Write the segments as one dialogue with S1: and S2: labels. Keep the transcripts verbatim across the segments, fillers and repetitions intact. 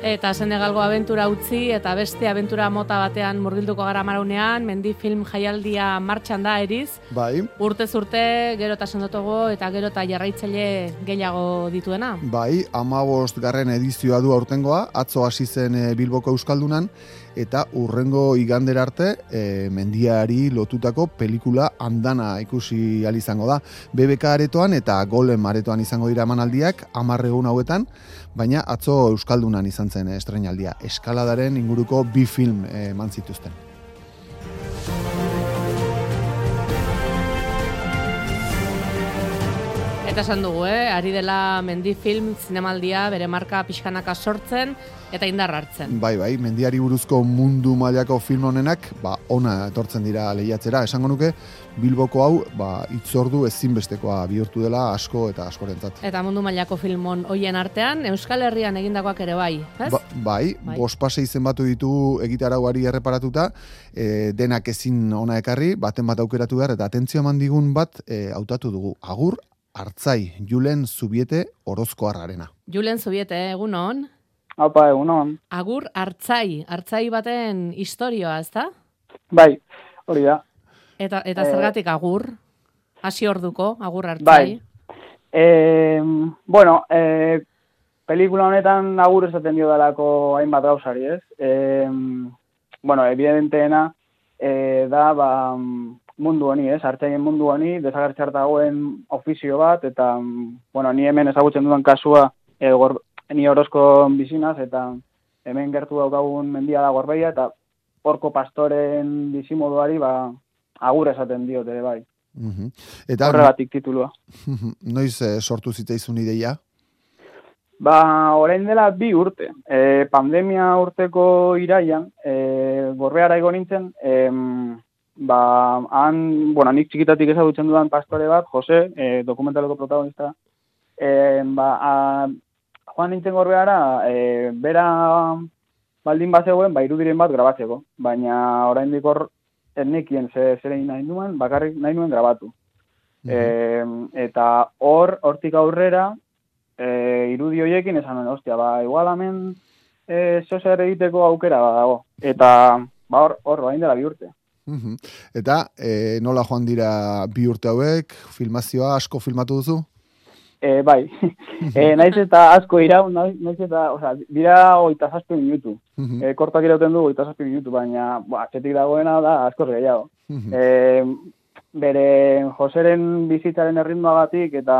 S1: Eta Senegalgo abentura utzi eta beste abentura mota batean murgilduko gara maraunean, mendi film jaialdia martxan da eriz.
S2: Bai.
S1: Urtez urte, gero eta sendotogo eta gero eta jarraitzaile gehiago dituena.
S2: Bai, hamabost garren edizioa du aurtengoa, atzo hasi zen Bilboko Euskaldunan, eta urrengo igandera arte e, mendiari lotutako pelikula andana ikusi ahal izango da. B B K aretoan eta Golem aretoan izango dira emanaldiak hamar egun hauetan, baina atzo Euskaldunan izan zen estreinaldia. Eskaladaren inguruko bi film eman zituzten.
S1: Eta esan dugu, eh? Ari dela mendi film zinemaldia bere marka pixkanaka sortzen eta indar hartzen.
S2: Bai, bai, mendiari buruzko mundu mailako film honenak, ba, ona etortzen dira lehiatzera. Esango nuke, Bilboko hau, ba, itzordu ezinbestekoa bihurtu dela asko eta askorentzat.
S1: Eta mundu mailako filmon hoien artean, Euskal Herrian egindakoak ere bai, ez?
S2: Ba, bai, bai. bospasei zenbatu ditu egitarauari erreparatuta, e, denak ezin ona ekarri, baten bat aukeratu behar, eta atentzio eman digun bat e, hautatu dugu. Agur, Artzai, Julen Zubiete Orozkoarrarena.
S1: Julen Zubiete, egun hon?
S3: Apa, egun hon.
S1: Agur, Artzai, Artzai baten historioa, ez da?
S3: Bai, hori da.
S1: Eta, eta e... zergatik agur? Hasi orduko, agur Artzai?
S3: Bai. E, bueno, e, pelikula honetan agur esaten dio dalako hainbat gauzari, ez? E, bueno, evidenteena e, da, ba, mundu honi, ez? Artzaien mundu honi, desagertzear dagoen ofizio bat, eta, bueno, ni hemen ezagutzen dudan kasua, e, gor, ni Orozko bizinaz, eta hemen gertu daukagun mendia da Gorbeia, eta horko pastoren bizimoduari, ba, agur esaten diote, bai.
S2: Uh-huh. Eta
S3: horregatik titulua.
S2: Noiz eh, sortu zitzaizun ideia?
S3: Ba, orain dela bi urte. E, pandemia urteko iraian, e, Gorbeara igo nintzen, e, ba, han, bueno, nik txikitatik ezagutzen dudan pastore bat, Jose, e, dokumentaleko protagonista, e, ba, a, joan nintzen Gorbeara, e, bera baldin bat zegoen, ba, irudiren bat grabatzeko, baina orain dikor etnekien zer egin nahi nuen, bakarrik nahi nuen grabatu. Mm-hmm. E, eta hor, hortik aurrera, e, irudi horiekin esan nuen, ostia, ba, igual hemen e, zozer egiteko aukera dago. Eta, ba, hor, hor, bain dela bi urte.
S2: Mm-hmm. Eta, e, nola joan dira bi urte hauek, filmazioa asko filmatu duzu?
S3: E, bai, e, naiz eta asko iraun, naiz eta, oza, dira oita zazpi minutu. Uh-huh. E, kortak irauten du oita zazpi minutu, baina, ba, atxetik dagoena da asko gehiago. Uh-huh. E, bere Joseren bizitzaren erritmoagatik eta,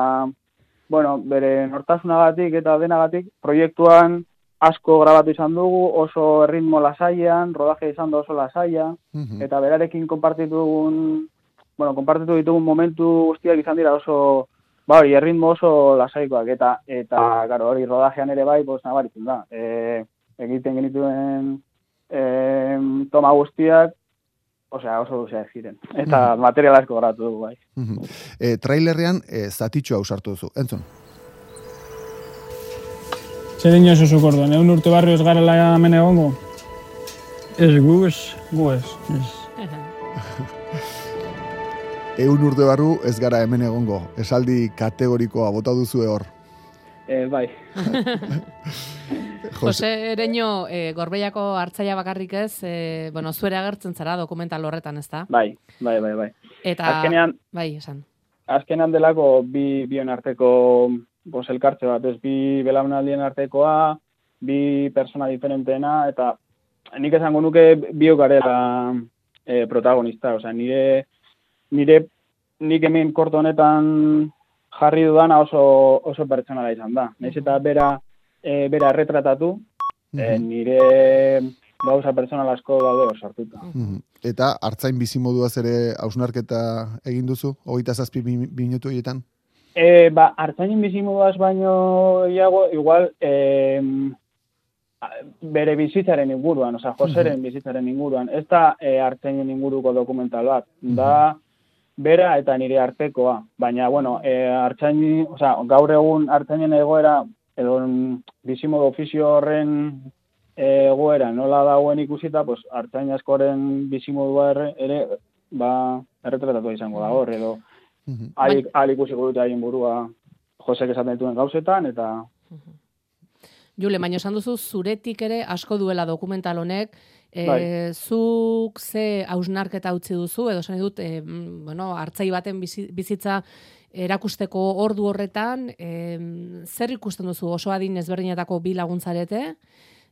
S3: bueno, bere nortasunagatik eta denagatik, proiektuan asko grabatu izan dugu, oso erritmo lasaian, rodaje izan da oso lasaia, uh-huh. eta berarekin konpartitu dugun, bueno, konpartitu ditugun momentu guztiak izan dira oso, ba hori, erritmo oso lasaikoak, eta, eta, garo, hori, rodajean ere bai, pues, nabaritzen da. E, egiten genituen e, toma guztiak, osea, oso luzeak ziren. Eta mm-hmm. material asko grabatu dugu, bai.
S2: Mm-hmm. E, trailerrean, e, zatitxoa usartu duzu, entzun?
S4: Zer dino zuzuk orduan, egun urte barrio ez gara laia hemen egongo? Ez gu ez, gu ez.
S2: Egun urte barru ez gara hemen egongo. Esaldi kategorikoa bota duzu hor.
S3: E, bai.
S1: Jose Ereño, e, Gorbeiako Artzaia bakarrik ez, e, bueno, zuere agertzen zara dokumental horretan, ez da?
S3: Bai, bai, bai, bai.
S1: Eta,
S3: azkenean,
S1: bai, esan.
S3: Azkenean delako bi bion arteko bos elkartze bat, ez bi belaunaldien artekoa, bi persona diferenteena, eta nik esango nuke biok garela e, protagonista, osea, nire Nire, nik hemen korto honetan jarri dudana oso, oso pertsonala izan da. Naiz eta bera, e, bera erretratatu, mm-hmm. e, nire gauza pertsonal asko daude osartuta.
S2: Mm-hmm. Eta Artzain bizimoduaz ere hausnarketa egin duzu, hogeita zazpi minutu horietan?
S3: E, ba, Artzainen bizimoduaz baino iago, igual, e, bere bizitzaren inguruan, oza, Joseren mm-hmm. bizitzaren inguruan. Ez da e, Artzainen inguruko dokumental bat, mm-hmm. da bera eta nire artekoa, baina, bueno, e, Artzaini, oza, gaur egun Artzainen egoera, edo bizimodu ofizio horren egoera nola dagoen ikusita, pues, Artzain askoren bizimodua ere, ere ba, erretratatu izango da hor, edo mm-hmm. ahal ikusiko dute haien burua Josek esaten dituen gauzetan, eta...
S1: Jule, baina esan duzu zuretik ere asko duela dokumental honek, e,
S3: Bai.
S1: zuk ze hausnarketa utzi duzu, edo esan dut, e, bueno, hartzai baten bizi- bizitza erakusteko ordu horretan, e, zer ikusten duzu oso adin ezberdinetako bi laguntzarete,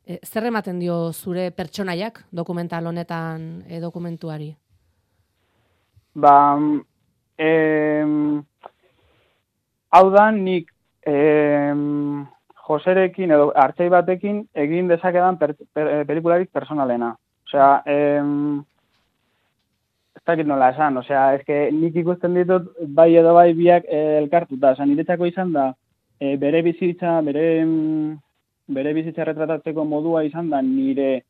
S1: e, zer ematen dio zure pertsonaiak dokumental honetan e, dokumentuari?
S3: Ba, em, hau da nik em, Joserekin edo hartzai batekin egin dezakedan per, per, pelikularik personalena. Osea, em, ez dakit nola esan, osea, eske nik ikusten ditut bai edo bai biak eh, elkartuta. Osea, niretzako izan da eh, bere bizitza, bere em, bere bizitza retratatzeko modua izan da nire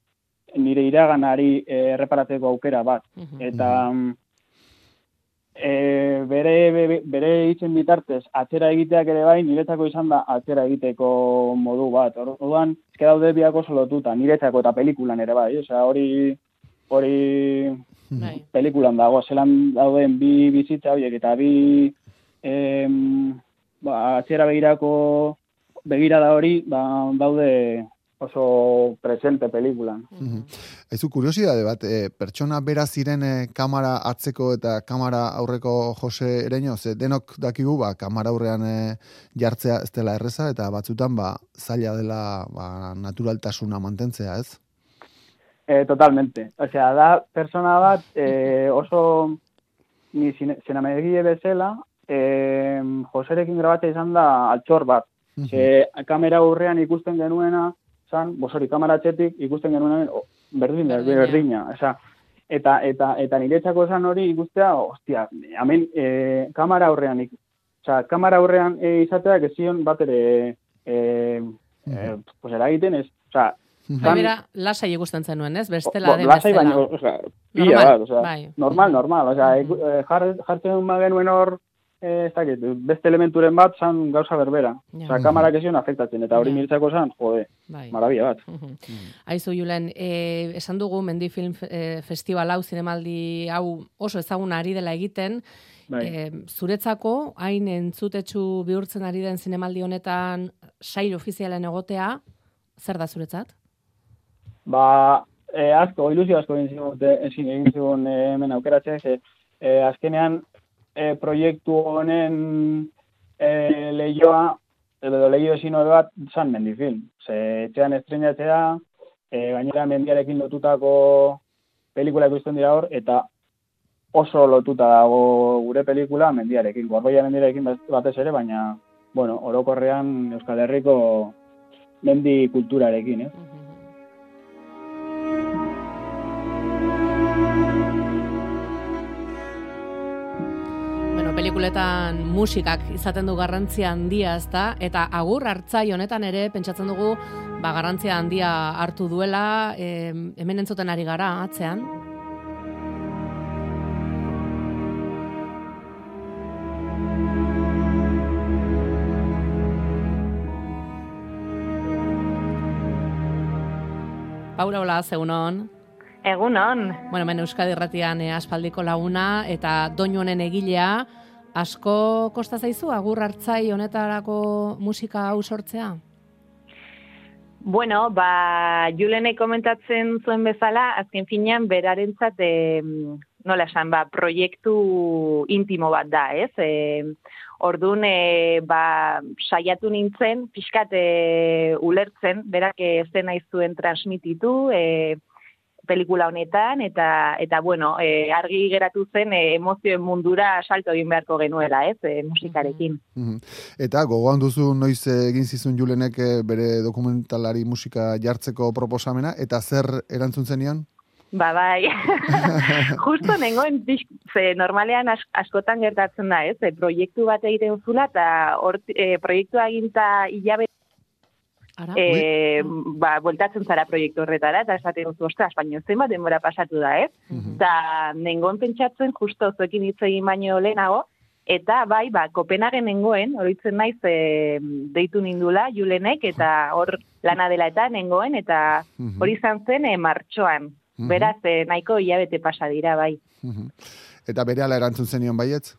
S3: nire iraganari eh, erreparatzeko aukera bat. Eta E, bere, bere, bere hitzen bitartez atzera egiteak ere bai niretzako izan da atzera egiteko modu bat. Orduan, eske daude biak oso lotuta, niretzako eta pelikulan ere bai. Osea, hori hori
S1: Bai.
S3: pelikulan dago, zelan dauden bi bizitza horiek eta bi em, ba, atzera begirako begirada hori ba, daude oso presente pelikulan.
S2: Aizu, kuriosidade bat, e, pertsona bera ziren e, kamera atzeko eta kamera aurreko Jose Ereño, ze denok dakigu, ba, kamera aurrean e, jartzea ez dela erreza, eta batzutan, ba, zaila dela ba, naturaltasuna mantentzea, ez?
S3: Eh, totalmente. Osea, da persona bat eh, oso ni zinamegile bezala, eh, Joserekin grabatzea izan da altxor bat. Ze, kamera aurrean ikusten genuena, zan, bosori, kamera atzetik ikusten genuena oh, berdin, berdina. berdina. Osea, eta, eta, eta niretzako esan hori ikustea, ostia, hemen eh, kamera aurrean, osea, kamera aurrean eh, izateak ezion bat ere eh, eh, pues eragiten ez, osea,
S1: Gainera, lasai ikusten zenuen, ez? Bestela den
S3: lasai
S1: bezala.
S3: baino, osea, pila
S1: Normal,
S3: bat, osea,
S1: bai.
S3: normal, normal, osea,
S1: Mhm.
S3: jar, jartzen bagenuen hor, eh, ez dakit, beste elementuren bat zan gauza berbera.
S1: Ja.
S3: Osea, kamarak ezion afektatzen, eta hori
S1: Ja.
S3: niretzako zan, jode,
S1: Bai.
S3: marabia bat.
S1: Aizu, Julen, eh, esan dugu Mendi Film eh, Festival hau, zinemaldi hau oso ezaguna ari dela egiten,
S3: Bai.
S1: eh, zuretzako, hain entzutetsu bihurtzen ari den zinemaldi honetan sail ofizialen egotea, zer da zuretzat?
S3: Ba, eh, asko, ilusio asko egin zigun, ezin egin zigun eh, hemen aukeratzea, ze, eh, azkenean eh, proiektu honen eh, lehioa, edo lehio ezin hori bat, zan Mendifilm. Ze, etxean estrenatzea, eh, gainera mendiarekin lotutako pelikula ikusten dira hor, eta oso lotuta dago gure pelikula mendiarekin, Gorbeia mendiarekin batez ere, baina, bueno, orokorrean Euskal Herriko mendi kulturarekin, eh?
S1: Bueno, pelikuletan musikak izaten du garrantzia handia, ezta? Eta agur hartzai honetan ere pentsatzen dugu ba garrantzia handia hartu duela, e, hemen entzuten ari gara atzean. Paula, hola, egunon.
S5: Egunon.
S1: Bueno, hemen Euskadi Irratian eh, aspaldiko laguna eta doinu honen egilea, asko kosta zaizu agur hartzai honetarako musika hau sortzea?
S5: Bueno, ba, Julenek komentatzen zuen bezala, azken finean berarentzat e, nola esan, ba, proiektu intimo bat da, ez? E, Orduan, e, ba, saiatu nintzen, pixkat e, ulertzen, berak ez dena izuen transmititu, e, pelikula honetan, eta, eta bueno, e, argi geratu zen e, emozioen mundura salto egin beharko genuela, ez, e, musikarekin.
S2: Eta gogoan duzu noiz egin zizun Julenek bere dokumentalari musika jartzeko proposamena, eta zer erantzun zenion?
S5: Ba, bai. Justo nengoen, ze normalean as, askotan gertatzen da, ez, e, proiektu bat egiten zula, eta hor, e, proiektua eginta hilabe
S1: Ara,
S5: E, ba, bueltatzen zara proiektu horretara, eta esaten duzu, ostras, baina zenbat denbora pasatu da, ez? Eta uh-huh. nengoen pentsatzen, justo zuekin hitz egin baino lehenago, eta bai, ba, Kopenhagen nengoen, horitzen naiz, e, deitu nindula, Julenek, eta hor lana dela eta nengoen, eta hori izan zen e, martxoan. Uh-huh. Beraz, e, nahiko hilabete pasa dira, bai.
S2: Uh-huh. Eta berehala erantzun zenion baietz?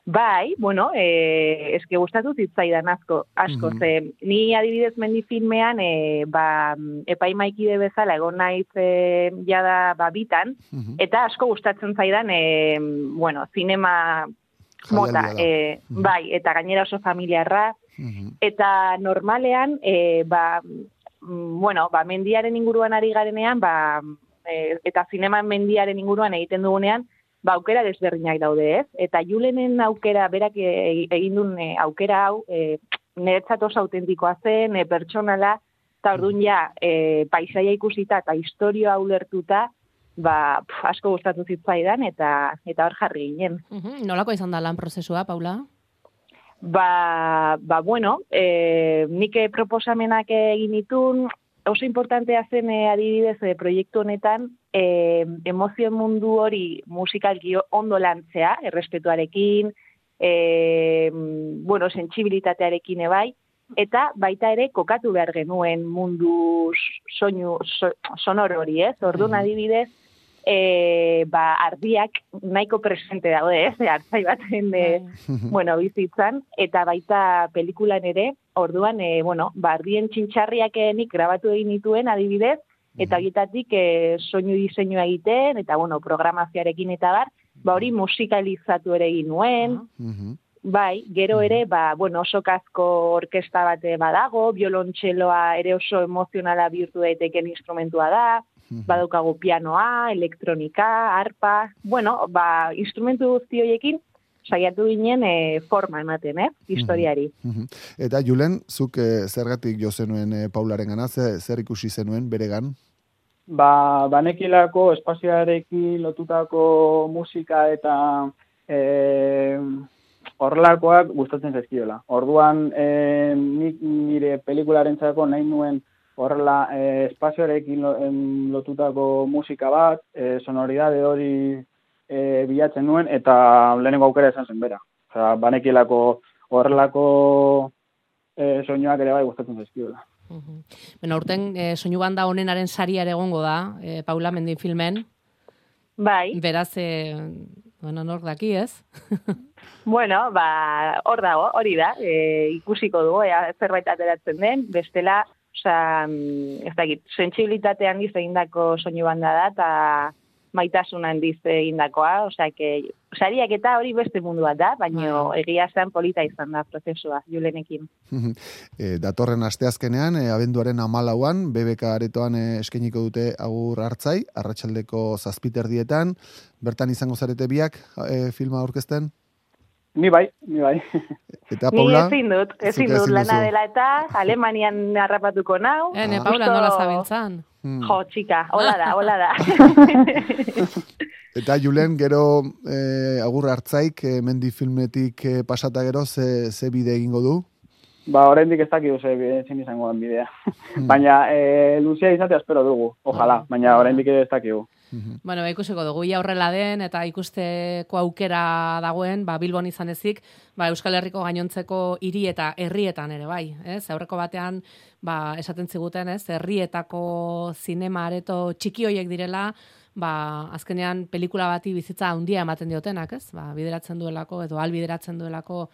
S5: Bai, bueno, eh, eske gustatu zitzaidan asko, asko,
S2: Mhm.
S5: ze ni adibidez mendi filmean, eh, ba, epaimaikide bezala egon naiz eh, jada ba, bitan,
S2: Mhm.
S5: eta asko gustatzen zaidan, eh, bueno, zinema mota,
S2: Jaialdia da.
S5: eh,
S2: Mhm.
S5: bai, eta gainera oso familiarra,
S2: Mhm.
S5: eta normalean, eh, ba, mm, bueno, ba, mendiaren inguruan ari garenean, ba, eh, eta zinema mendiaren inguruan egiten dugunean, ba, aukera desberdinak daude, ez? Eta Julenen aukera, berak e- egin duen e, aukera hau, e, niretzat oso autentikoa zen, e, pertsonala, eta orduan ja, e, paisaia ikusita eta historioa ulertuta, ba, pf, asko gustatu zitzaidan, eta eta hor jarri ginen.
S1: Mhm. Nolako izan da lan prozesua, Paula?
S5: Ba, ba bueno, e, nik proposamenak egin ditun, oso importantea zen e, adibidez e, proiektu honetan, e, emozio mundu hori musikalki ondo lantzea, errespetuarekin, e, bueno, sentsibilitatearekin ebai, eta baita ere kokatu behar genuen mundu soinu so, sonor hori, ez? Orduan adibidez, e, ba, ardiak nahiko presente daude, ez? Artzai baten, e, bueno, bizitzan, eta baita pelikulan ere, orduan, e, bueno, ba, ardien txintxarriak nik grabatu egin dituen adibidez, eta horietatik e, soinu diseinua egiten, eta, bueno, programazioarekin eta bar, ba, hori musikalizatu ere egin nuen,
S2: Mhm.
S5: bai, gero ere, ba, bueno, oso kasko orkesta bate badago, biolontxeloa ere oso emozionala bihurtu daiteken instrumentua da, badaukagu pianoa, elektronika, arpa, bueno, ba, instrumentu guzti horiekin saiatu ginen e, forma ematen, eh, historiari.
S2: Mhm. Eta Julen, zuk e, zergatik jo zenuen e, Paularen gana, zer, zer ikusi zenuen beregan?
S3: Ba, banekilako espazioarekin lotutako musika eta e, horrelakoak gustatzen zaizkiola. Orduan, e, nik nire pelikularentzako nahi nuen horrela e, espazioarekin lo, em, lotutako musika bat, e, sonoridade hori e, bilatzen nuen, eta lehenengo aukera izan zen bera. Osea, banekilako horrelako e, soinuak ere bai gustatzen zaizkiola.
S1: Mhm. Bueno, urten e, soinu banda honenaren saria ere egongo da, e, Paula Mendin filmen.
S5: Bai.
S1: Beraz, e, bueno, nork daki, ez?
S5: Bueno, ba, hor dago, hori da, e, ikusiko dugu, ea, zerbait ateratzen den, bestela, osea, ez dakit, sentsibilitate handiz egindako soinu banda da, eta maitasun handiz egindakoa, osea, que, sariak eta hori beste mundu bat da, baina egia zen polita izan da prozesua, Julenekin.
S2: e, datorren asteazkenean, e, abenduaren hamalauan, B B K aretoan e, eskainiko dute Agur Artzai, arratsaldeko zazpiterdietan, bertan izango zarete biak e, filma aurkezten?
S3: Ni bai, ni bai.
S2: Eta Paula?
S5: Ni ezin dut, ezin dut lana dela eta Alemanian harrapatuko nau.
S1: Ene, Paula, nola zabiltzan?
S2: Hmm.
S5: Jo, txika, hola da, hola da.
S2: Eta Julen, gero eh, Agur Artzaik, eh, mendi filmetik eh, pasata gero, ze, ze bide egingo du?
S3: Ba, oraindik ez dakigu ze ezin izango den bidea. Baina, e, luzea izatea espero dugu, ojalá, baina oraindik ez dakigu.
S1: Bueno, ba, ikusiko dugu, ia horrela den, eta ikusteko aukera dagoen, ba, Bilbon izan ezik, ba, Euskal Herriko gainontzeko hiri eta herrietan ere, bai, ez? Aurreko batean, ba, esaten ziguten, ez? Herrietako zinema areto txiki hoiek direla, ba, azkenean pelikula bati bizitza handia ematen diotenak, ez? Ba, bideratzen duelako, edo albideratzen duelako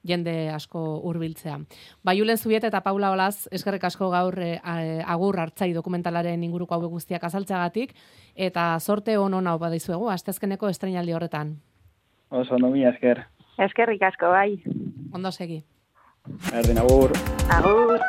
S1: jende asko hurbiltzea. Ba, Julen Zubiet eta Paula Olaz, eskerrik asko gaur e, Agur Artzai dokumentalaren inguruko hauek guztiak azaltzeagatik, eta sorte on hona opa dizuegu, asteazkeneko estreinaldi horretan.
S3: Oso, no mi esker.
S5: Eskerrik asko, bai.
S1: Ondo segi.
S3: Erdin, agur.
S5: Agur.